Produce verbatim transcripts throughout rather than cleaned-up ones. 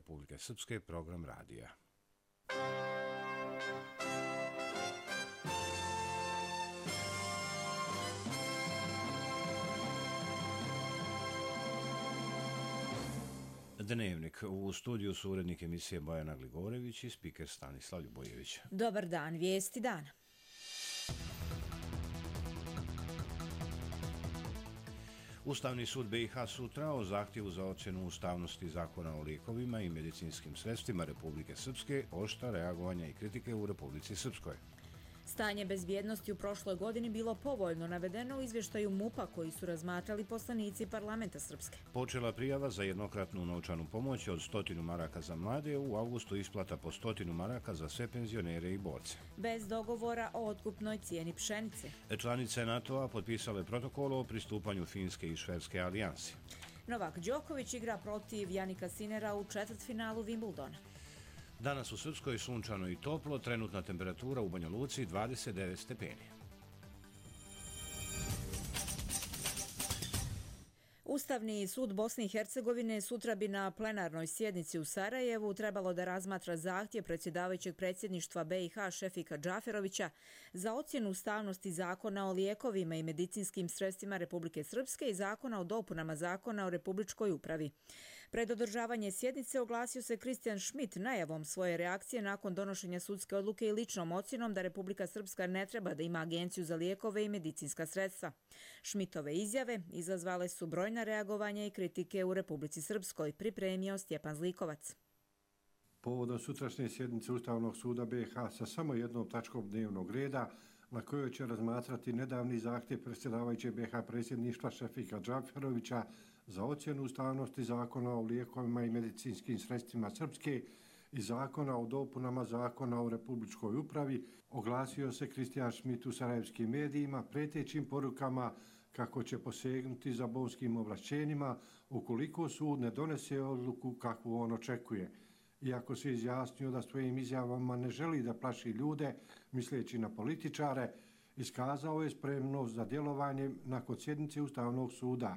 Republike Srpske, program radija. Dnevnik. U studiju su urednik emisije Bojana Gligorević i spiker Stanislav Ljubojević. Dobar dan, vijesti dana. Ustavni sud B i H sutra o zahtjevu za ocjenu ustavnosti zakona o lijekovima i medicinskim sredstvima Republike Srpske oštra reagovanja i kritike u Republici Srpskoj. Stanje bezbjednosti u prošloj godini bilo povoljno navedeno u izvještaju MUP-a koji su razmatrali poslanici parlamenta Srpske. Počela prijava za jednokratnu novčanu pomoć od stotinu maraka za mlade, u avgustu isplata po stotinu maraka za sve penzionere i borce. Bez dogovora o otkupnoj cijeni pšenice. Članice NATO-a potpisale protokol o pristupanju Finske i Švedske alijansi. Novak Đoković igra protiv Janika Sinera u četvrtfinalu Wimbledona. Danas u Srpskoj sunčano i toplo, trenutna temperatura u Banja Luci dvadeset devet stepeni. Ustavni sud Bosne i Hercegovine sutra bi na plenarnoj sjednici u Sarajevu trebalo da razmatra zahtjev predsjedavajućeg predsjedništva B i H Šefika Džaferovića za ocjenu ustavnosti zakona o lijekovima i medicinskim sredstvima Republike Srpske i zakona o dopunama zakona o republičkoj upravi. Pred održavanje sjednice oglasio se Kristijan Šmit najavom svoje reakcije nakon donošenja sudske odluke i ličnom ocjenom da Republika Srpska ne treba da ima agenciju za lijekove i medicinska sredstva. Šmitove izjave izazvale su brojna reagovanja i kritike u Republici Srpskoj, pripremio Stjepan Zlikovac. Povodom sutrašnje sjednice Ustavnog suda B i H sa samo jednom tačkom dnevnog reda, na kojoj će razmatrati nedavni zahtjev predsjedavajućeg B i H predsjedništva Šefika Džaferovića za ocjenu ustavnosti zakona o lijekovima i medicinskim sredstvima Srpske i zakona o dopunama zakona o republičkoj upravi, oglasio se Kristijan Šmit u sarajevskim medijima pretećim porukama kako će posegnuti za bonskim ovlašćenjima ukoliko sud ne donese odluku kakvu on očekuje. Iako se izjasnio da svojim izjavama ne želi da plaši ljude, misleći na političare, iskazao je spremnost za djelovanje nakon sjednice Ustavnog suda.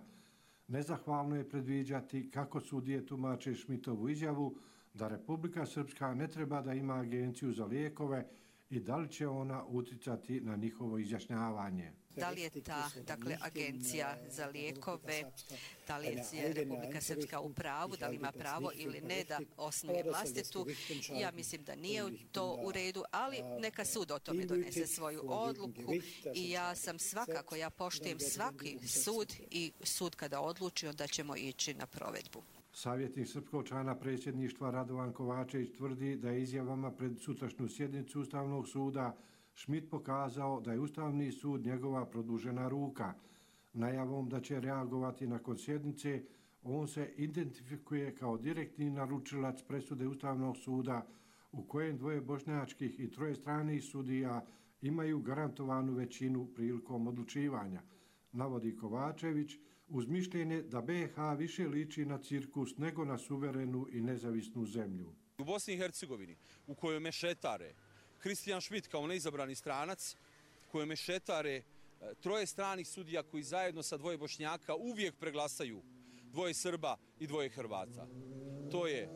Nezahvalno je predviđati kako sudije tumače Šmitovu izjavu da Republika Srpska ne treba da ima agenciju za lijekove i da li će ona uticati na njihovo izjašnjavanje. Da li je ta, dakle, agencija za lijekove, da li je Republika Srpska u pravu, da li ima pravo ili ne da osnuje vlastitu, ja mislim da nije to u redu, ali neka sud o tome donese svoju odluku i ja sam svakako, ja poštujem svaki sud i sud kada odluči, onda ćemo ići na provedbu. Savjetnik srpskog člana predsjedništva Radovan Kovačević tvrdi da je izjavama pred sutrašnju sjednicu Ustavnog suda Šmit pokazao da je Ustavni sud njegova produžena ruka. Najavom da će reagovati nakon sjednice, on se identifikuje kao direktni naručilac presude Ustavnog suda u kojem dvoje bošnjačkih i troje stranih sudija imaju garantovanu većinu prilikom odlučivanja, navodi Kovačević, uz mišljenje da B i H više liči na cirkus nego na suverenu i nezavisnu zemlju. U Bosni i Hercegovini, u kojoj mešetare Kristijan Šmit kao neizabrani stranac, kojoj mešetare troje stranih sudija koji zajedno sa dvoje Bošnjaka uvijek preglasaju dvoje Srba i dvoje Hrvata. To je,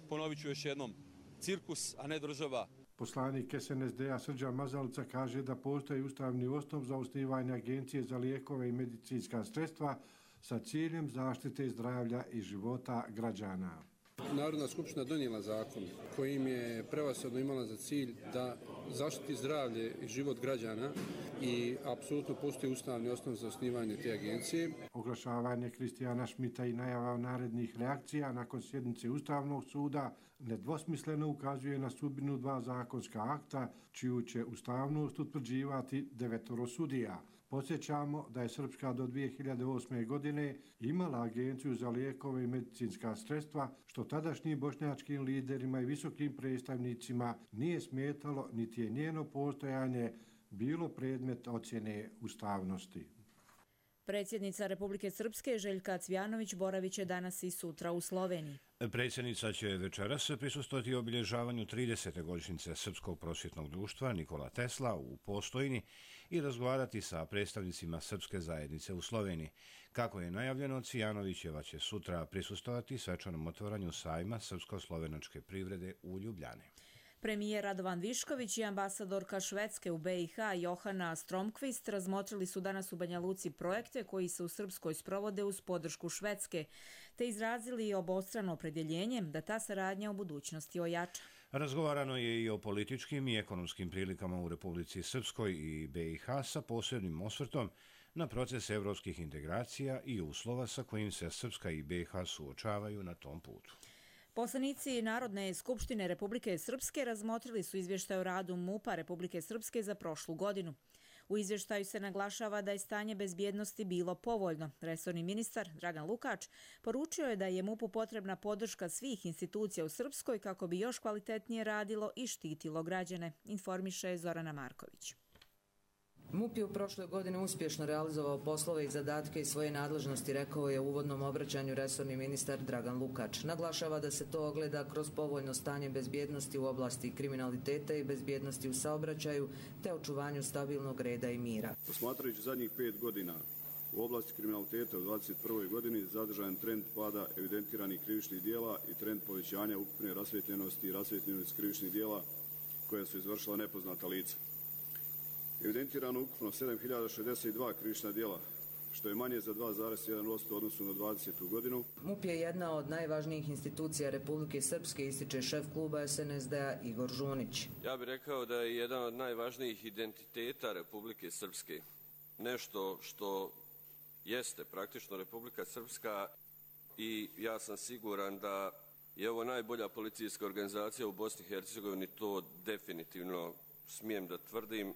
ponovit ću još jednom, cirkus, a ne država. Poslanik S N S D-a Srđan Mazalica kaže da postoji ustavni osnov za osnivanje agencije za lijekove i medicinska sredstva sa ciljem zaštite zdravlja i života građana. Narodna skupština donijela zakon kojim je prevashodno imala za cilj da zaštiti zdravlje i život građana i apsolutno postoji ustavni osnov za osnivanje te agencije. Oglašavanje Kristijana Šmita i najava narednih reakcija nakon sjednice Ustavnog suda nedvosmisleno ukazuje na sudbinu dva zakonska akta čiju će ustavnost utvrđivati devetoro sudija. Podsjećamo da je Srpska do dvije hiljade osme. godine imala agenciju za lijekove i medicinska sredstva, što tadašnjim bošnjačkim liderima i visokim predstavnicima nije smetalo, niti je njeno postojanje bilo predmet ocjene ustavnosti. Predsjednica Republike Srpske Željka Cvjanović boravit će danas i sutra u Sloveniji. Predsjednica će večeras prisustvovati obilježavanju tridesete godišnjice Srpskog prosvjetnog društva Nikola Tesla u Postojni i razgovarati sa predstavnicima srpske zajednice u Sloveniji. Kako je najavljeno, Cvjanovićeva će sutra prisustvovati svečanom otvaranju sajma srpsko-slovenačke privrede u Ljubljani. Premijer Radovan Višković i ambasadorka Švedske u be i ha Johana Stromqvist razmotrili su danas u Banja Luci projekte koji se u Srpskoj sprovode uz podršku Švedske, te izrazili obostrano opredjeljenje da ta saradnja u budućnosti ojača. Razgovarano je i o političkim i ekonomskim prilikama u Republici Srpskoj i be i ha sa posebnim osvrtom na proces evropskih integracija i uslova sa kojim se Srpska i be i ha suočavaju na tom putu. Poslanici Narodne skupštine Republike Srpske razmotrili su izvještaj o radu MUP-a Republike Srpske za prošlu godinu. U izvještaju se naglašava da je stanje bezbjednosti bilo povoljno. Resorni ministar Dragan Lukač poručio je da je MUP-u potrebna podrška svih institucija u Srpskoj kako bi još kvalitetnije radilo i štitilo građane, informiše Zorana Marković. MUP je u prošloj godini uspješno realizovao poslove i zadatke iz svoje nadležnosti, rekao je u uvodnom obraćanju resorni ministar Dragan Lukač. Naglašava da se to ogleda kroz povoljno stanje bezbjednosti u oblasti kriminaliteta i bezbjednosti u saobraćaju te očuvanju stabilnog reda i mira. Posmatrajući zadnjih pet godina u oblasti kriminaliteta u dvadeset prvoj godini zadržan trend pada evidentiranih krivičnih dijela i trend povećanja ukupne rasvijetljenosti i rasvijetljenosti krivičnih dijela koja su izvršila nepoznata lica. Evidentirano ukupno sedam hiljada šezdeset dva krivična djela, što je manje za dva zarez jedan posto u odnosu na dvadesetu godinu. MUP je jedna od najvažnijih institucija Republike Srpske, ističe šef kluba es en es de a Igor Žunić. Ja bih rekao da je jedan od najvažnijih identiteta Republike Srpske. Nešto što jeste praktično Republika Srpska i ja sam siguran da je ovo najbolja policijska organizacija u Bosni i Hercegovini, to definitivno smijem da tvrdim,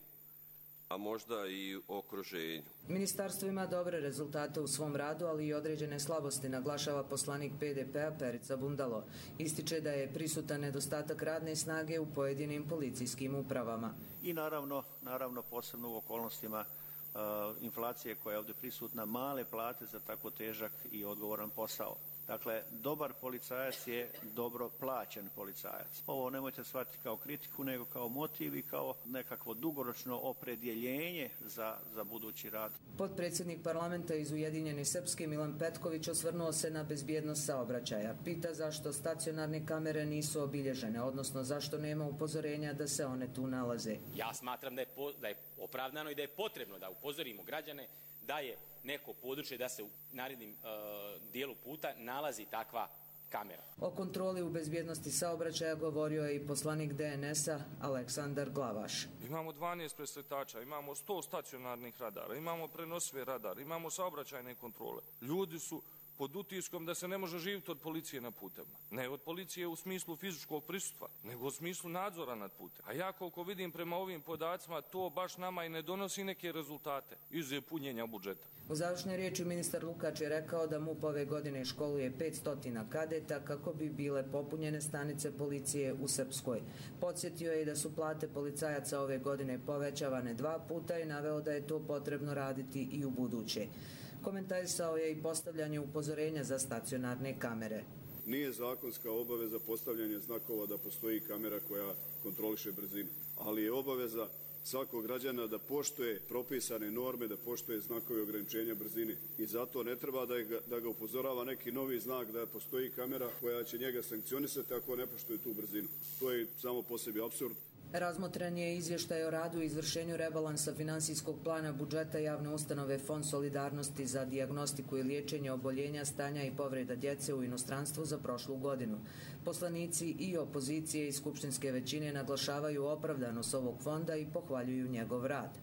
a možda i okruženju. Ministarstvo ima dobre rezultate u svom radu, ali i određene slabosti, naglašava poslanik pe de pe a Perica Bundalo. Ističe da je prisutan nedostatak radne snage u pojedinim policijskim upravama. I naravno, naravno posebno u okolnostima uh, inflacije koja je ovdje prisutna, male plate za tako težak i odgovoran posao. Dakle, dobar policajac je dobro plaćen policajac. Ovo nemojte shvatiti kao kritiku, nego kao motiv i kao nekakvo dugoročno opredjeljenje za, za budući rad. Potpredsjednik parlamenta iz Ujedinjene Srpske Milan Petković osvrnuo se na bezbjednost saobraćaja. Pita zašto stacionarne kamere nisu obilježene, odnosno zašto nema upozorenja da se one tu nalaze. Ja smatram da je, po, da je opravdano i da je potrebno da upozorimo građane da je neko područje, da se u narednim uh, dijelu puta nalazi takva kamera. O kontroli u bezbjednosti saobraćaja govorio je i poslanik de en es a Aleksandar Glavaš. Imamo dvanaest presretača, imamo sto stacionarnih radara, imamo prenosive radare, imamo saobraćajne kontrole. Ljudi su pod utiskom da se ne može živjeti od policije na putevima. Ne od policije u smislu fizičkog prisustva, nego u smislu nadzora nad putem. A ja koliko vidim prema ovim podacima, to baš nama i ne donosi neke rezultate izuzev punjenja budžeta. U završnoj riječi ministar Lukač je rekao da MUP ove godine školuje petsto kadeta kako bi bile popunjene stanice policije u Srpskoj. Podsjetio je da su plate policajaca ove godine povećavane dva puta i naveo da je to potrebno raditi i u buduće. Komentarisao je i postavljanje upozorenja za stacionarne kamere. Nije zakonska obaveza postavljanja znakova da postoji kamera koja kontroliše brzinu, ali je obaveza svakog građana da poštuje propisane norme, da poštuje znakove ograničenja brzine. I zato ne treba da ga, da ga upozorava neki novi znak da postoji kamera koja će njega sankcionisati ako ne poštuje tu brzinu. To je samo po sebi apsurd. Razmotren je izvještaj o radu i izvršenju rebalansa finansijskog plana budžeta javne ustanove Fond solidarnosti za dijagnostiku i liječenje oboljenja, stanja i povreda djece u inostranstvu za prošlu godinu. Poslanici i opozicije i skupštinske većine naglašavaju opravdanost ovog fonda i pohvaljuju njegov rad.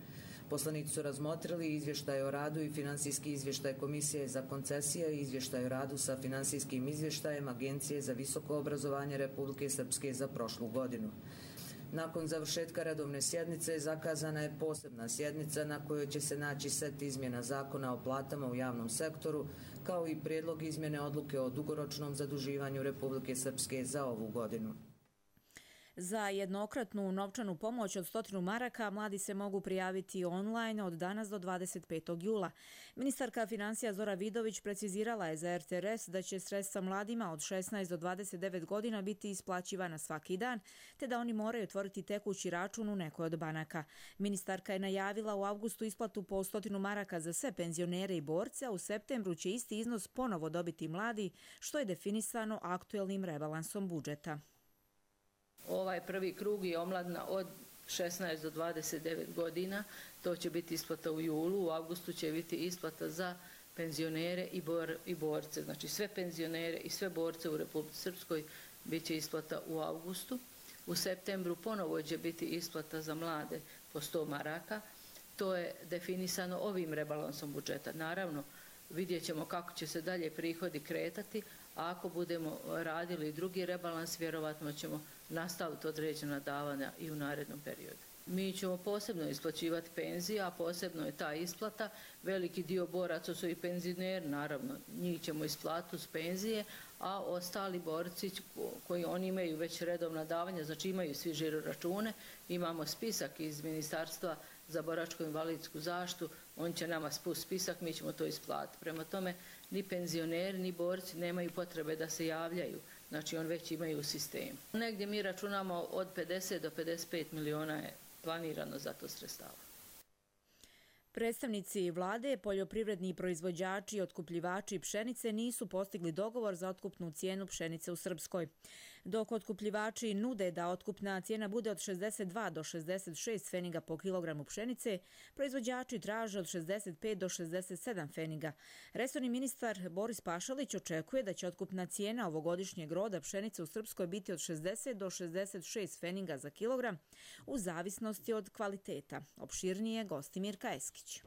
Poslanici su razmotrili izvještaj o radu i finansijski izvještaj Komisije za koncesije i izvještaj o radu sa finansijskim izvještajem Agencije za visoko obrazovanje Republike Srpske za prošlu godinu. Nakon završetka redovne sjednice zakazana je posebna sjednica na kojoj će se naći set izmjena zakona o platama u javnom sektoru, kao i prijedlog izmjene odluke o dugoročnom zaduživanju Republike Srpske za ovu godinu. Za jednokratnu novčanu pomoć od stotinu maraka mladi se mogu prijaviti online od danas do dvadeset petog jula. Ministarka financija Zora Vidović precizirala je za R T R S da će sredstva mladima od šesnaest do dvadeset devet godina biti isplaćivana svaki dan, te da oni moraju otvoriti tekući račun u nekoj od banaka. Ministarka je najavila u avgustu isplatu po stotinu maraka za sve penzionere i borce, a u septembru će isti iznos ponovo dobiti mladi, što je definisano aktuelnim rebalansom budžeta. Ovaj prvi krug je omladina od šesnaest do dvadeset devet godina, to će biti isplata u julu, u avgustu će biti isplata za penzionere i, bor, i borce. Znači sve penzionere i sve borce u Republici Srpskoj bit će isplata u avgustu. U septembru ponovo će biti isplata za mlade po sto maraka. To je definisano ovim rebalansom budžeta. Naravno, vidjet ćemo kako će se dalje prihodi kretati, a ako budemo radili drugi rebalans, vjerovatno ćemo nastaviti određena davanja i u narednom periodu. Mi ćemo posebno isplaćivati penzije, a posebno je ta isplata. Veliki dio boraca su i penzioneri, naravno, njih ćemo isplatiti uz penzije, a ostali borci koji oni imaju već redovna davanja, znači imaju svi žiro račune, imamo spisak iz Ministarstva za boračko-invalidsku zaštitu, on će nama spustiti spisak, mi ćemo to isplatiti. Prema tome, ni penzioneri, ni borci nemaju potrebe da se javljaju, znači on već imaju u sistemu. Negdje mi računamo od pedeset do pedeset pet miliona je planirano za to sredstava. Predstavnici vlade, poljoprivredni proizvođači i otkupljivači pšenice nisu postigli dogovor za otkupnu cijenu pšenice u Srpskoj. Dok otkupljivači nude da otkupna cijena bude od šezdeset dva do šezdeset šest pfeniga po kilogramu pšenice, proizvođači traže od šezdeset pet do šezdeset sedam pfeniga. Resorni ministar Boris Pašalić očekuje da će otkupna cijena ovogodišnjeg roda pšenice u Srpskoj biti od šezdeset do šezdeset šest pfeniga za kilogram, u zavisnosti od kvaliteta. Opširnije Gostimir Kajeskić.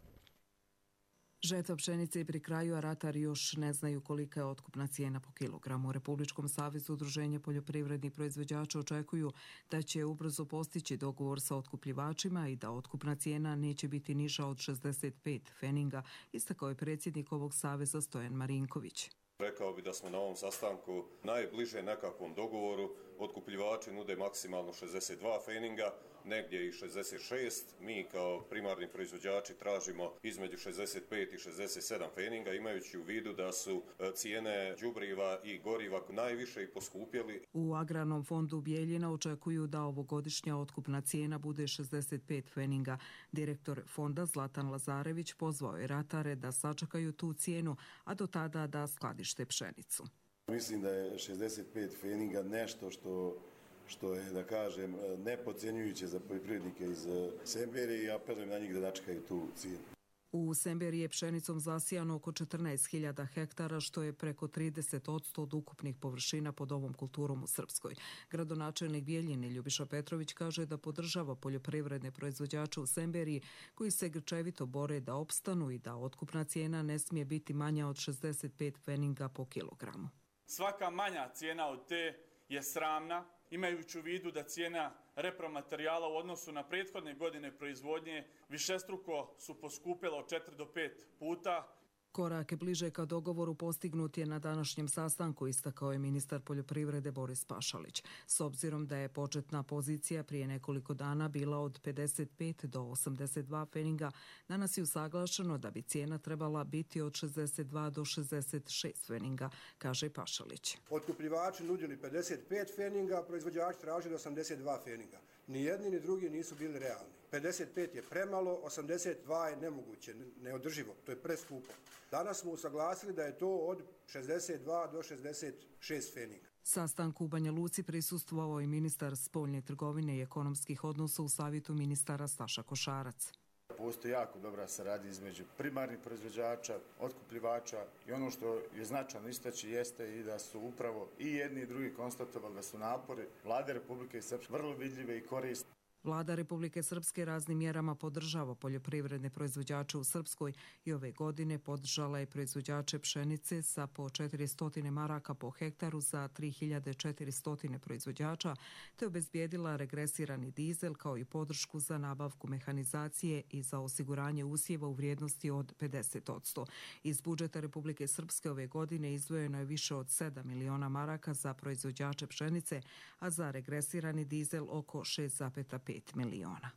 Žetva pšenice je pri kraju, a ratari još ne znaju kolika je otkupna cijena po kilogramu. U Republičkom savezu udruženja poljoprivrednih proizvođača očekuju da će ubrzo postići dogovor sa otkupljivačima i da otkupna cijena neće biti niža od šezdeset pet pfeniga, istakao je predsjednik ovog saveza Stojan Marinković. Rekao bi da smo na ovom sastanku najbliže nekakvom dogovoru. Otkupljivači nude maksimalno šezdeset dva pfeniga, negdje i šezdeset šest. Mi kao primarni proizvođači tražimo između šezdeset pet i šezdeset sedam pfeniga, imajući u vidu da su cijene đubriva i goriva najviše i poskupjeli. U Agrarnom fondu Bijeljina očekuju da ovogodišnja otkupna cijena bude šezdeset pet pfeniga. Direktor fonda Zlatan Lazarević pozvao je ratare da sačekaju tu cijenu, a do tada da skladište pšenicu. Mislim da je šezdeset pet pfeniga nešto što što je, da kažem, nepodcijenjujuće za poljoprivrednike iz Semberije i apelujem na njih da načekaju tu cijenu. U Semberiji je pšenicom zasijano oko četrnaest hiljada hektara, što je preko trideset posto od ukupnih površina pod ovom kulturom u Srpskoj. Gradonačelnik Bijeljine Ljubiša Petrović kaže da podržava poljoprivredne proizvođače u Semberiji koji se grčevito bore da opstanu i da otkupna cijena ne smije biti manja od šezdeset pet pfeniga po kilogramu. Svaka manja cijena od te je sramna, imajući u vidu da cijena repromaterijala u odnosu na prethodne godine proizvodnje višestruko su poskupila od četiri do pet puta. Korake bliže ka dogovoru postignut je na današnjem sastanku, istakao je ministar poljoprivrede Boris Pašalić. S obzirom da je početna pozicija prije nekoliko dana bila od pedeset pet do osamdeset dva pfeniga, danas je usaglašeno da bi cijena trebala biti od šezdeset dva do šezdeset šest pfeniga, kaže Pašalić. Otkupljivači nudili pedeset pet pfeniga, proizvođači tražili osamdeset dva pfeniga. Ni jedni ni drugi nisu bili realni. pedeset pet je premalo, osamdeset dva je nemoguće, neodrživo, to je preskupo. Danas smo usaglasili da je to od šezdeset dva do šezdeset šest pfeniga. Sastanku u Banja Luci prisustvovao i ministar spoljne trgovine i ekonomskih odnosa u savjetu ministara Staša Košarac. Postoji jako dobra saradnja između primarnih proizvođača, otkupljivača i ono što je značajno istaći jeste i da su upravo i jedni i drugi konstatovali da su napori Vlade Republike Srpske vrlo vidljive i korisne. Vlada Republike Srpske raznim mjerama podržava poljoprivredne proizvođače u Srpskoj i ove godine podržala je proizvođače pšenice sa po četiristo maraka po hektaru za tri hiljade četiristo proizvođača, te obezbijedila regresirani dizel kao i podršku za nabavku mehanizacije i za osiguranje usjeva u vrijednosti od pedeset posto. Iz budžeta Republike Srpske ove godine izdvojeno je više od sedam miliona maraka za proizvođače pšenice, a za regresirani dizel oko šest zarez pet miliona.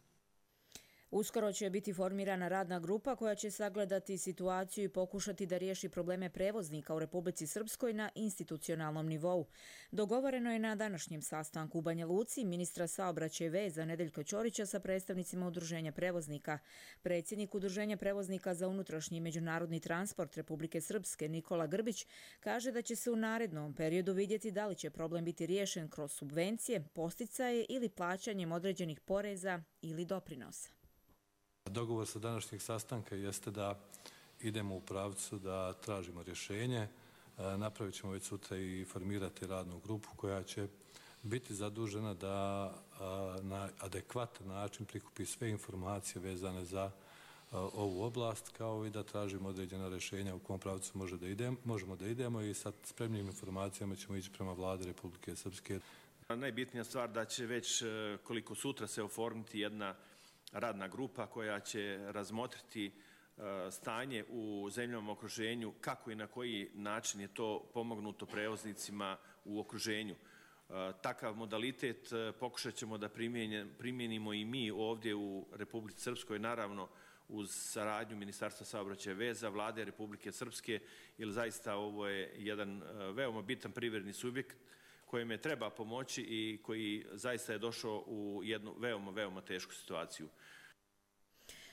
Uskoro će biti formirana radna grupa koja će sagledati situaciju i pokušati da riješi probleme prevoznika u Republici Srpskoj na institucionalnom nivou. Dogovoreno je na današnjem sastanku u Banja Luci ministra saobraćaja i veza Nedeljka Ćorića sa predstavnicima Udruženja prevoznika. Predsjednik Udruženja prevoznika za unutrašnji i međunarodni transport Republike Srpske Nikola Grbić kaže da će se u narednom periodu vidjeti da li će problem biti riješen kroz subvencije, posticaje ili plaćanjem određenih poreza ili doprinosa. Dogovor sa današnjeg sastanka jeste da idemo u pravcu da tražimo rješenje. Napravit ćemo već sutra i formirati radnu grupu koja će biti zadužena da na adekvatan način prikupi sve informacije vezane za ovu oblast, kao i da tražimo određena rješenja u kom pravcu može da idemo, možemo da idemo i sa spremnim informacijama ćemo ići prema Vladi Republike Srpske. Najbitnija stvar da će već koliko sutra se oformiti jedna radna grupa koja će razmotriti stanje u zemljama okruženju, kako i na koji način je to pomognuto prevoznicima u okruženju. Takav modalitet pokušat ćemo da primijenimo i mi ovdje u Republici Srpskoj, naravno uz saradnju Ministarstva saobraćaja i veza, Vlade Republike Srpske, jer zaista ovo je jedan veoma bitan privredni subjekt kojem je treba pomoći i koji zaista je došao u jednu veoma, veoma tešku situaciju.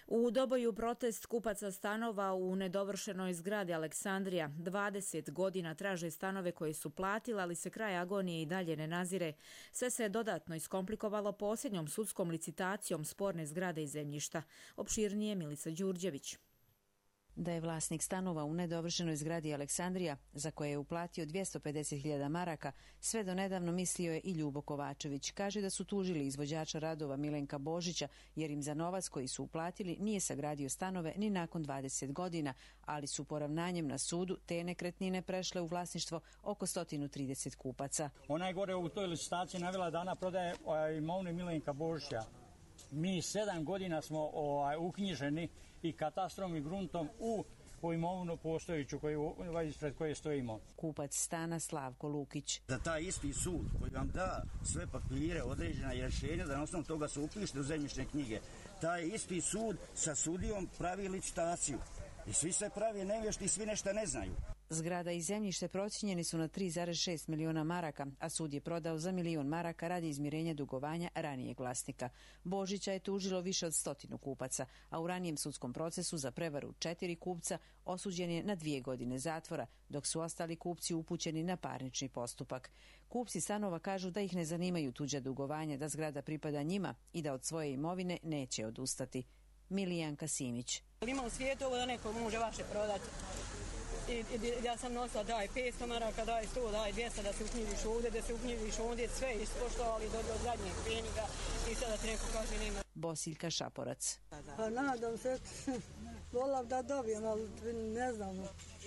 U Doboju protest kupaca stanova u nedovršenoj zgradi Aleksandrija. dvadeset godina traže stanove koje su platili, ali se kraj agonije i dalje ne nazire. Sve se je dodatno iskomplikovalo posljednjom sudskom licitacijom sporne zgrade i zemljišta. Opširnije Milica Đurđević. Da je vlasnik stanova u nedovršenoj zgradi Aleksandrija, za koje je uplatio dvjesto pedeset hiljada maraka, sve do nedavno mislio je i Ljubo Kovačević. Kaže da su tužili izvođača radova Milenka Božića, jer im za novac koji su uplatili nije sagradio stanove ni nakon dvadeset godina, ali su poravnanjem na sudu te nekretnine prešle u vlasništvo oko sto trideset kupaca. Ona je gore u toj licitaciji navela da ona prodaje imovinu Milenka Božića. Mi sedam godina smo ovaj, uknjiženi i katastrom i gruntom u u imovinu postojiću koju, ispred koje stojimo. Kupac stana Slavko Lukić. Da taj isti sud koji vam da sve papire, određena rješenja, da na osnovu toga se upišete u zemljišne knjige, taj isti sud sa sudijom pravi licitaciju. I svi se pravi nevješti i svi nešto ne znaju. Zgrada i zemljište procijenjeni su na tri zarez šest miliona maraka, a sud je prodao za milion maraka radi izmirenja dugovanja ranijeg vlasnika. Božića je tužilo više od stotinu kupaca, a u ranijem sudskom procesu za prevaru četiri kupca osuđen je na dvije godine zatvora, dok su ostali kupci upućeni na parnični postupak. Kupci stanova kažu da ih ne zanimaju tuđa dugovanja, da zgrada pripada njima i da od svoje imovine neće odustati. Milijanka Simić. Ima u svijetu ovo da neko može vaše prodati. I, i, ja sam nosila daj petsto maraka, daj sto, daj dvjesto da se uknjižiš ovdje, da se uknjižiš ovdje, sve ispoštovali do, do zadnjeg peniga i sada ti neko kaže nema. Bosiljka Šaporac. Pa nadam se, volam da dobijem, ali ne znam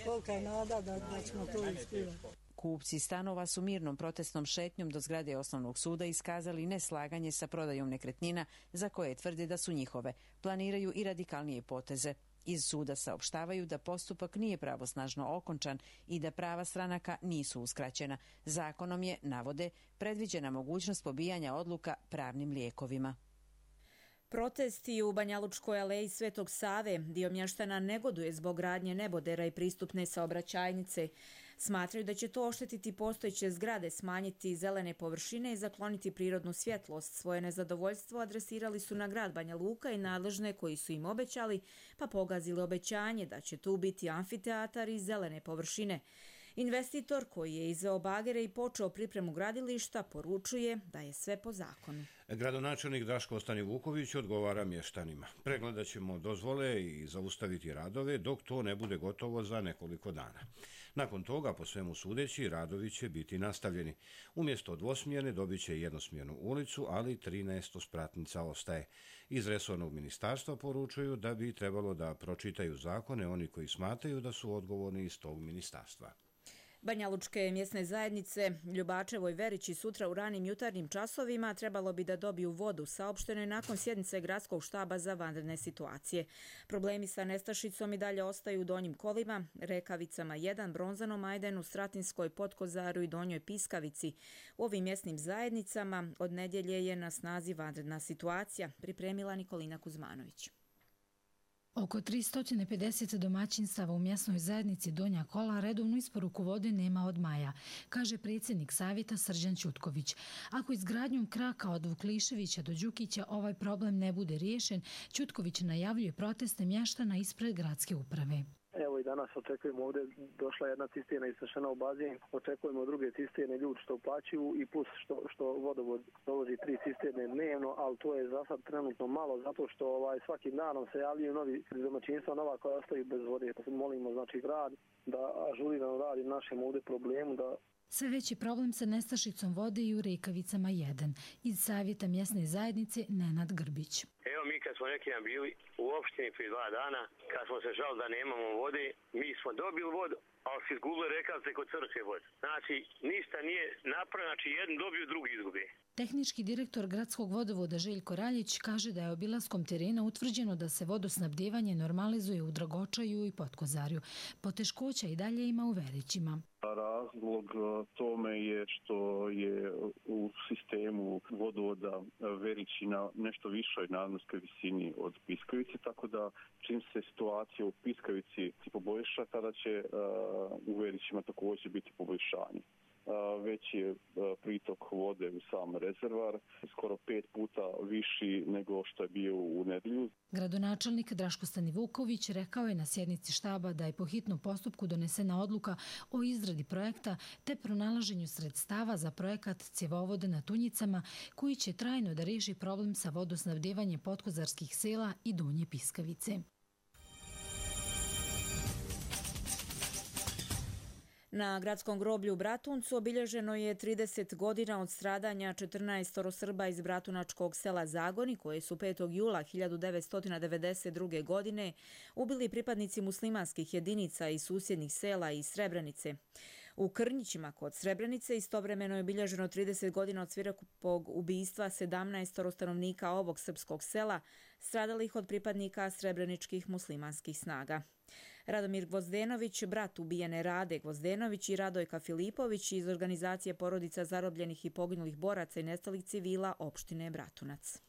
kolika je nada da, da ćemo to ispivati. Kupci stanova su mirnom protestnom šetnjom do zgrade osnovnog suda iskazali neslaganje sa prodajom nekretnina za koje tvrde da su njihove. Planiraju i radikalnije poteze. Iz suda saopštavaju da postupak nije pravosnažno okončan i da prava stranaka nisu uskraćena. Zakonom je, navode, predviđena mogućnost pobijanja odluka pravnim lijekovima. Protesti u Banjalučkoj aleji Svetog Save, dio mještana negoduje zbog gradnje nebodera i pristupne saobraćajnice. Smatraju da će to oštetiti postojeće zgrade, smanjiti zelene površine i zakloniti prirodnu svjetlost. Svoje nezadovoljstvo adresirali su na grad Banja Luka i nadležne koji su im obećali, pa pogazili obećanje da će tu biti amfiteatar i zelene površine. Investitor koji je izveo bagere i počeo pripremu gradilišta poručuje da je sve po zakonu. Gradonačelnik Draško Stanivuković odgovara mještanima. Pregledat ćemo dozvole i zaustaviti radove dok to ne bude gotovo za nekoliko dana. Nakon toga, po svemu sudeći, radovi će biti nastavljeni. Umjesto dvosmjerne dobit će jednosmjernu ulicu, ali trinaest spratnica ostaje. Iz resornog ministarstva poručuju da bi trebalo da pročitaju zakone oni koji smatraju da su odgovorni iz tog ministarstva. Banjalučke mjesne zajednice Ljubačevo i Verići sutra u ranim jutarnjim časovima trebalo bi da dobiju vodu, saopšteno je nakon sjednice gradskog štaba za vanredne situacije. Problemi sa nestašicom i dalje ostaju u Donjim Kolima, Rekavicama jedan, Bronzanom Ajdenu, Stratinskoj, Potkozaru i Donjoj Piskavici. U ovim mjesnim zajednicama od nedjelje je na snazi vanredna situacija, pripremila Nikolina Kuzmanović. Oko tristo pedeset domaćinstava u mjesnoj zajednici Donja Kola redovnu isporuku vode nema od maja, kaže predsjednik savjeta Srđan Ćutković. Ako izgradnjom kraka od Vukliševića do Đukića ovaj problem ne bude riješen, Ćutković najavljuje proteste mještana ispred gradske uprave. Evo i danas očekujemo ovdje, došla jedna cisterna isvršena u bazen, očekujemo druge cisterne ljudi što uplaćuju i plus što, što vodovod dovozi tri cisterne dnevno, ali to je za sad trenutno malo zato što ovaj, svakim danom se javljaju novi domaćinstva nova koja ostaju bez vode. Molimo znači grad da ažurirano radi našem ovdje problemu da Sve veći problem sa nestašicom vode i u Rekavicama jedan. Iz savjeta mjesne zajednice Nenad Grbić. Evo mi kad smo neki dan bili u opštini prije dva dana, kad smo se žali da nemamo vode, mi smo dobili vodu, ali su izgubili Rekavce kod crkve vode. Znači ništa nije napravljeno, znači jedan dobiju, drugi izgubi. Tehnički direktor gradskog vodovoda Željko Raljić kaže da je obilaskom terena utvrđeno da se vodosnabdijevanje normalizuje u Dragočaju i Potkozarju. Poteškoća i dalje ima u Verićima. Razlog tome je što je u sistemu vodovoda Verićina nešto višoj nadmorskoj visini od Piskavice, tako da čim se situacija u Piskavici poboljša, tada će u Verićima također biti poboljšanje. Već je pritok vode u sam rezervar, skoro pet puta viši nego što je bio u nedjelju. Gradonačelnik Draško Stanivuković rekao je na sjednici štaba da je po hitnom postupku donesena odluka o izradi projekta te pronalaženju sredstava za projekat cjevovode na Tunjicama koji će trajno da riješi problem sa vodosnabdjevanjem potkozarskih sela i Donje Piskavice. Na gradskom groblju u Bratuncu obilježeno je trideset godina od stradanja četrnaest Srba iz bratunačkog sela Zagoni, koje su petog jula hiljadu devetsto devedeset druge. godine ubili pripadnici muslimanskih jedinica iz susjednih sela i Srebrenice. U Krnjićima kod Srebrenice istovremeno je obilježeno trideset godina od svirepog ubijstva sedamnaest stanovnika ovog srpskog sela, stradalih od pripadnika srebreničkih muslimanskih snaga. Radomir Gvozdenović, brat ubijene Rade Gvozdenović i Radojka Filipović iz organizacije porodica zarobljenih i poginulih boraca i nestalih civila opštine Bratunac.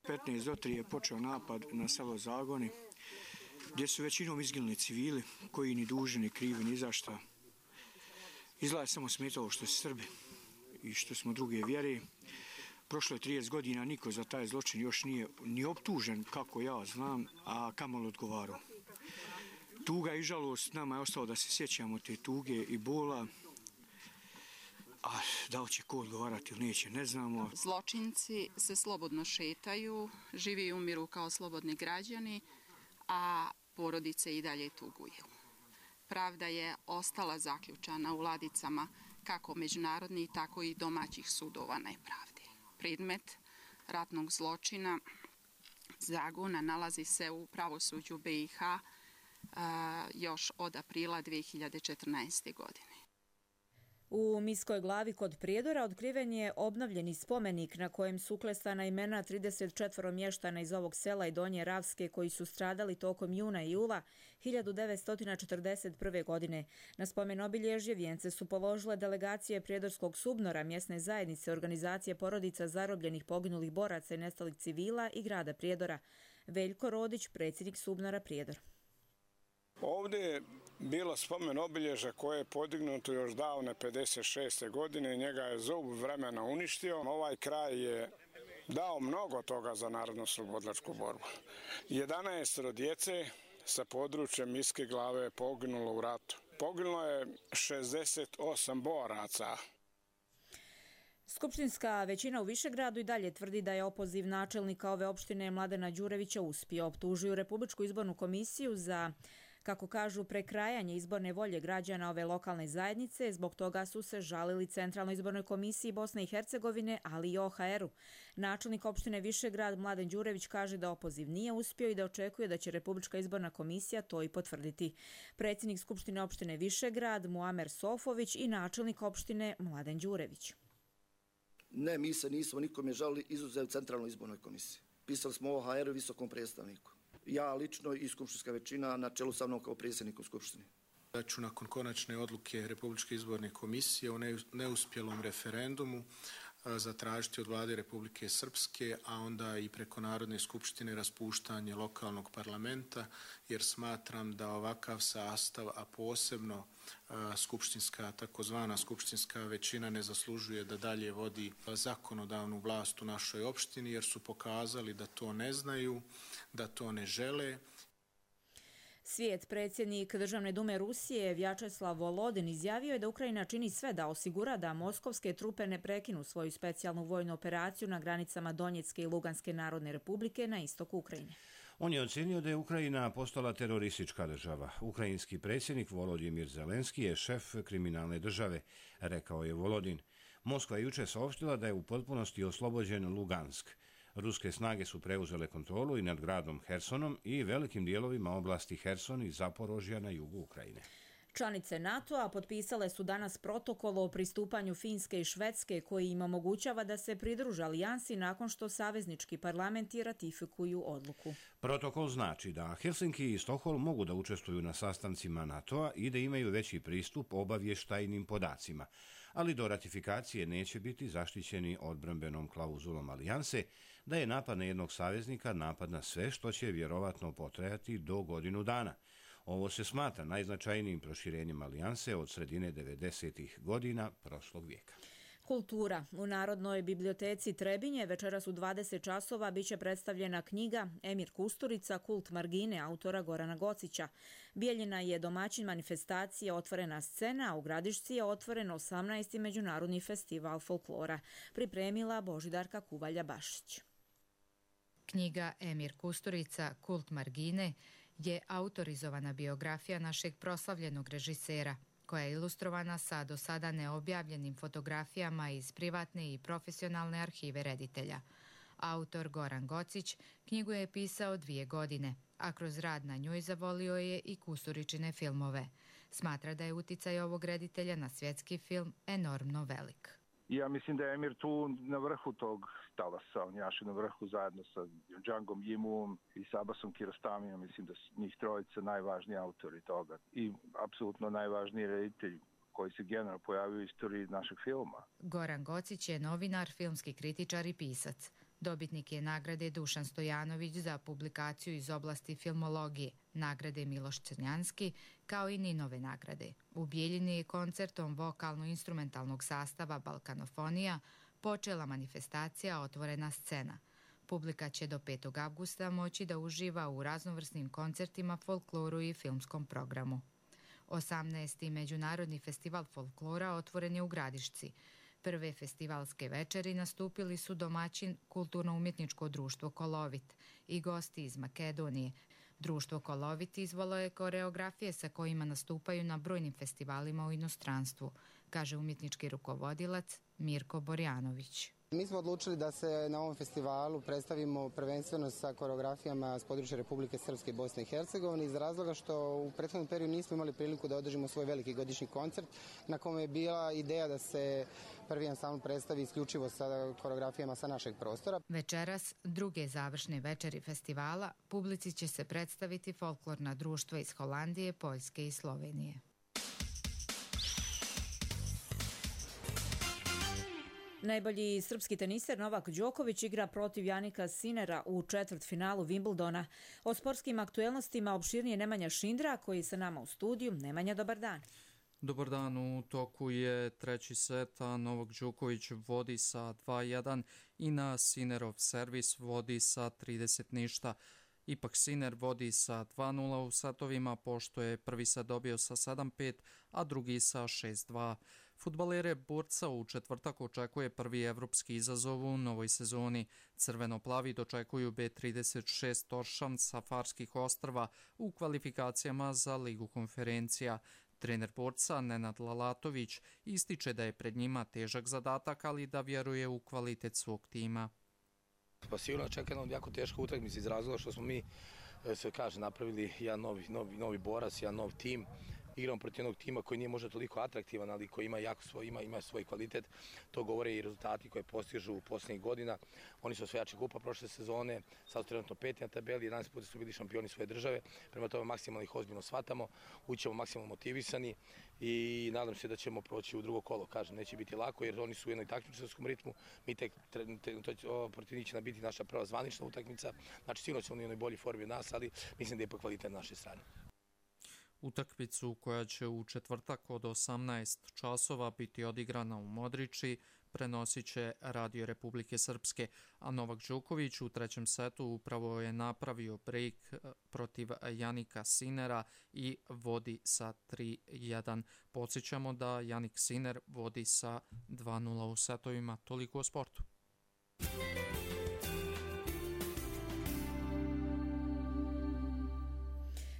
petnaest do tri je počeo napad na selo Zagoni, gdje su većinom izginuli civili, koji ni dužni, ni krivi, ni zašta. Izgleda je samo smetalo što su Srbi i što smo druge vjere. Prošlo je trideset godina, niko za taj zločin još nije ni optužen, kako ja znam, a kamoli odgovarao. Tuga i žalost nama je ostalo da se sjećamo te tuge i bola, a da li će ko odgovarati ili neće, ne znamo. Zločinci se slobodno šetaju, živi i umiru kao slobodni građani, a porodice i dalje tuguju. Pravda je ostala zaključana u ladicama kako međunarodnih, tako i domaćih sudova nepravde. Predmet ratnog zločina Zagona nalazi se u pravosuđu B i H još od aprila dve hiljade četrnaeste. godine. U Miskoj Glavi kod Prijedora otkriven je obnovljeni spomenik na kojem su uklesana imena trideset četiri mještana iz ovog sela i Donje Ravske koji su stradali tokom juna i jula hiljadu devetsto četrdeset prve. godine. Na spomen obilježje vijence su položile delegacije Prijedorskog Subnora, mjesne zajednice, organizacije porodica zarobljenih, poginulih boraca i nestalih civila i grada Prijedora. Veljko Rodić, predsjednik Subnora Prijedor. Ovdje je bilo spomen obilježja koje je podignuto još davne pedeset šeste. godine. Njega je zub vremena uništio. Ovaj kraj je dao mnogo toga za narodno-slobodlačku borbu. jedanaest djece sa područja Miske Glave je poginulo u ratu. Poginulo je šezdeset osam boraca. Skupštinska većina u Višegradu i dalje tvrdi da je opoziv načelnika ove opštine Mladena Đurevića uspio. Optužuju Republičku izbornu komisiju za Kako kažu, prekrajanje izborne volje građana ove lokalne zajednice, zbog toga su se žalili Centralnoj izbornoj komisiji Bosne i Hercegovine, ali i O H R-u. Načelnik opštine Višegrad Mladen Đurević kaže da opoziv nije uspio i da očekuje da će Republička izborna komisija to i potvrditi. Predsjednik Skupštine opštine Višegrad Muamer Sofović i načelnik opštine Mladen Đurević. Ne, mi se nismo nikome žalili izuzev Centralnoj izbornoj komisiji. Pisali smo O H R-u visokom predstavniku. Ja lično i skupštinska većina na čelu sa mnom kao predsjedniku Skupštine. Da ću nakon konačne odluke Republičke izborne komisije o neuspjelom referendumu zatražiti od vlade Republike Srpske, a onda i preko Narodne skupštine raspuštanje lokalnog parlamenta, jer smatram da ovakav sastav, a posebno skupštinska, takozvana skupštinska većina ne zaslužuje da dalje vodi zakonodavnu vlast u našoj opštini, jer su pokazali da to ne znaju, da to ne žele. Svijet predsjednik Državne dume Rusije Vjačeslav Volodin izjavio je da Ukrajina čini sve da osigura da moskovske trupe ne prekinu svoju specijalnu vojnu operaciju na granicama Donjecke i Luganske narodne republike na istoku Ukrajine. On je ocenio da je Ukrajina postala teroristička država. Ukrajinski predsjednik Volodimir Zelenski je šef kriminalne države, rekao je Volodin. Moskva je juče saopštila da je u potpunosti oslobođen Lugansk. Ruske snage su preuzele kontrolu i nad gradom Hersonom i velikim dijelovima oblasti Herson i Zaporožja na jugu Ukrajine. Članice NATO-a potpisale su danas protokol o pristupanju Finske i Švedske koji im omogućava da se pridruže alijansi nakon što saveznički parlamenti ratifikuju odluku. Protokol znači da Helsinki i Stokholm mogu da učestvuju na sastancima NATO-a i da imaju veći pristup obavještajnim podacima, ali do ratifikacije neće biti zaštićeni odbrambenom klauzulom alijanse da je napad na jednog saveznika napad na sve, što će vjerovatno potrajati do godinu dana. Ovo se smatra najznačajnijim proširenjem alijanse od sredine devedesetih godina prošlog vijeka. Kultura. U Narodnoj biblioteci Trebinje večeras u dvadeset časova biće predstavljena knjiga Emir Kusturica, Kult margine autora Gorana Gocića. Bijeljina je domaćin manifestacije Otvorena scena, a u Gradišci je otvoren osamnaesti međunarodni festival folklora. Pripremila Božidarka Kuvalja-Bašić. Knjiga Emir Kusturica, Kult margine je autorizovana biografija našeg proslavljenog režisera, koja je ilustrovana sa do sada neobjavljenim fotografijama iz privatne i profesionalne arhive reditelja. Autor Goran Gocić knjigu je pisao dvije godine, a kroz rad na njoj zavolio je i Kusturičine filmove. Smatra da je uticaj ovog reditelja na svjetski film enormno velik. Ja mislim da je Emir tu na vrhu tog talasa, on jaše na vrhu zajedno sa Džangom Jimuom i Sabasom Kirostamijom, mislim da su njih trojica najvažniji autori toga i apsolutno najvažniji reditelj koji se generalno pojavio u istoriji našeg filma. Goran Gocić je novinar, filmski kritičar i pisac. Dobitnik je nagrade Dušan Stojanović za publikaciju iz oblasti filmologije, nagrade Miloš Crnjanski, kao i Ninove nagrade. U Bijeljini je koncertom vokalno-instrumentalnog sastava Balkanofonija počela manifestacija Otvorena scena. Publika će do petog avgusta moći da uživa u raznovrsnim koncertima, folkloru i filmskom programu. osamnaesti Međunarodni festival folklora otvoren je u Gradišci. Prve festivalske večeri nastupili su domaćin Kulturno-umjetničko društvo Kolovit i gosti iz Makedonije. Društvo Kolovit izvalo je koreografije sa kojima nastupaju na brojnim festivalima u inostranstvu, kaže umjetnički rukovodilac Mirko Borjanović. Mi smo odlučili da se na ovom festivalu predstavimo prvenstveno sa koreografijama s područja Republike Srpske i Bosne i Hercegovine iz razloga što u prethodnom periodu nismo imali priliku da održimo svoj veliki godišnji koncert na kome je bila ideja da se prvi ansambl predstavi isključivo sa koreografijama sa našeg prostora. Večeras, druge završne večeri festivala, publici će se predstaviti folklorna društva iz Holandije, Poljske i Slovenije. Najbolji srpski teniser Novak Đoković igra protiv Janika Sinera u četvrtfinalu Wimbledona. O sportskim aktuelnostima opširnije Nemanja Šindra, koji je sa nama u studiju. Nemanja, dobar dan. Dobar dan, u toku je treći set, a Novak Đoković vodi sa dva jedan i na Sinerov servis vodi sa trideset ništa. Ipak Sinner vodi sa dva nula u setovima, pošto je prvi set dobio sa sedam pet, a drugi sa šest dva. Fudbalere Borca u četvrtak očekuje prvi evropski izazov u novoj sezoni. Crveno-plavi dočekuju B trideset šest Toršam sa Farskih ostrva u kvalifikacijama za Ligu konferencija. Trener Borca Nenad Lalatović ističe da je pred njima težak zadatak, ali da vjeruje u kvalitet svog tima. Pa sigurno čeka nam jako teška utakmica iz razloga što smo mi, se kaže, napravili jedan novi, novi, novi borac, jedan nov tim. Igramo protiv jednog tima koji nije možda toliko atraktivan, ali koji ima jako svoj, ima, ima svoj kvalitet. To govore i rezultati koje postižu u posljednjih godina. Oni su osvajači kupa prošle sezone, sad su trenutno peti na tabeli, jedanaest puta su bili šampioni svoje države. Prema tome maksimalno ih ozbiljno shvatamo, ućemo maksimalno motivisani i nadam se da ćemo proći u drugo kolo. Kažem, neće biti lako jer oni su u jednoj takmičarskom ritmu. Mi tek, to protiv njih će biti naša prva zvanična utakmica. Znači sigurno ćemo u jednoj bolji formi od nas, ali mislim da je ipak kvalitet na naše strane. Utakmicu koja će u četvrtak od osamnaest časova biti odigrana u Modriči prenosit će Radio Republike Srpske, a Novak Đoković u trećem setu upravo je napravio break protiv Janika Sinera i vodi sa tri jedan. Podsjećamo da Janik Siner vodi sa dva nula u setovima. Toliko o sportu.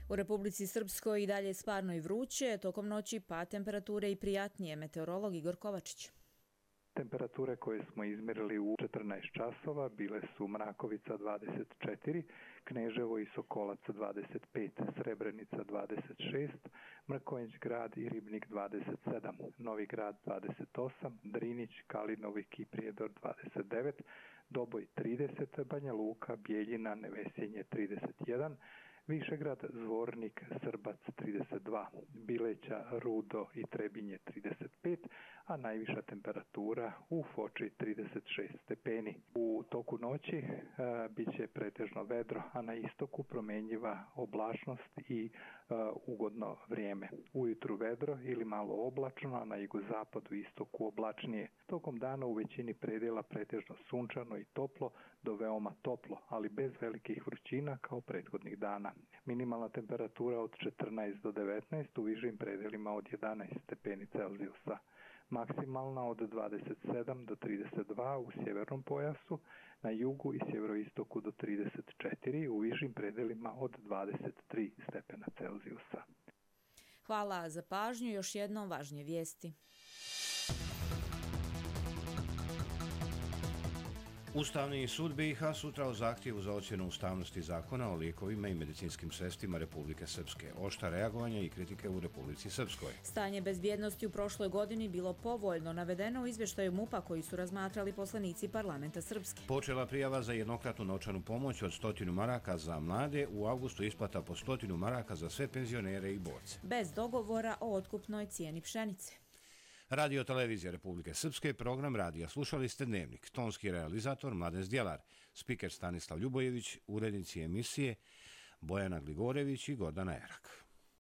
U Republici Srpskoj i dalje sparno i vruće, tokom noći pa temperature i prijatnije. Meteorolog Igor Kovačić. Temperature koje smo izmjerili u četrnaest časova bile su Mrakovica dvadeset četiri, Kneževo i Sokolac dvadeset pet, Srebrenica dvadeset šest, Mrkonjić grad i Ribnik dvadeset sedam, Novi grad dvadeset osam, Drinić, Kalinovik i Prijedor dvadeset devet, Doboj trideset, Banja Luka, Bijeljina, Nevesjenje trideset jedan, Višegrad, Zvornik, Srbac trideset dva, Bileća, Rudo i Trebinje trideset pet, a najviša temperatura u Foči trideset šest stepeni. U toku noći e, bit će pretežno vedro, a na istoku promjenjiva oblačnost i e, ugodno vrijeme. Ujutru vedro ili malo oblačno, a na jugozapadu i istoku oblačnije. Tokom dana u većini predjela pretežno sunčano i toplo do veoma toplo, ali bez velikih vrućina kao prethodnih dana. Minimalna temperatura od četrnaest do devetnaest, u višim predjelima od jedanaest stepeni Celzijusa. Maksimalna od dvadeset sedam do trideset dva u sjevernom pojasu, na jugu i sjeveroistoku do trideset četiri, u višim predjelima od dvadeset tri stepena Celzijusa. Hvala za pažnju, još jednom važnije vijesti. Ustavni sud B i H sutra o zahtjevu za ocjenu ustavnosti zakona o lijekovima i medicinskim sredstvima Republike Srpske. Oštra reagovanja i kritike u Republici Srpskoj. Stanje bezbjednosti u prošloj godini bilo povoljno, navedeno u izvještaju MUP-a koji su razmatrali poslanici parlamenta Srpske. Počela prijava za jednokratnu novčanu pomoć od stotinu maraka za mlade, u avgustu isplata po stotinu maraka za sve penzionere i borce. Bez dogovora o otkupnoj cijeni pšenice. Radio Televizija Republike Srpske, program radija. Slušali ste Dnevnik. Tonski realizator Mladen Zdjelar, spiker Stanislav Ljubojević, urednici emisije Bojana Gligorević i Gordana Erak.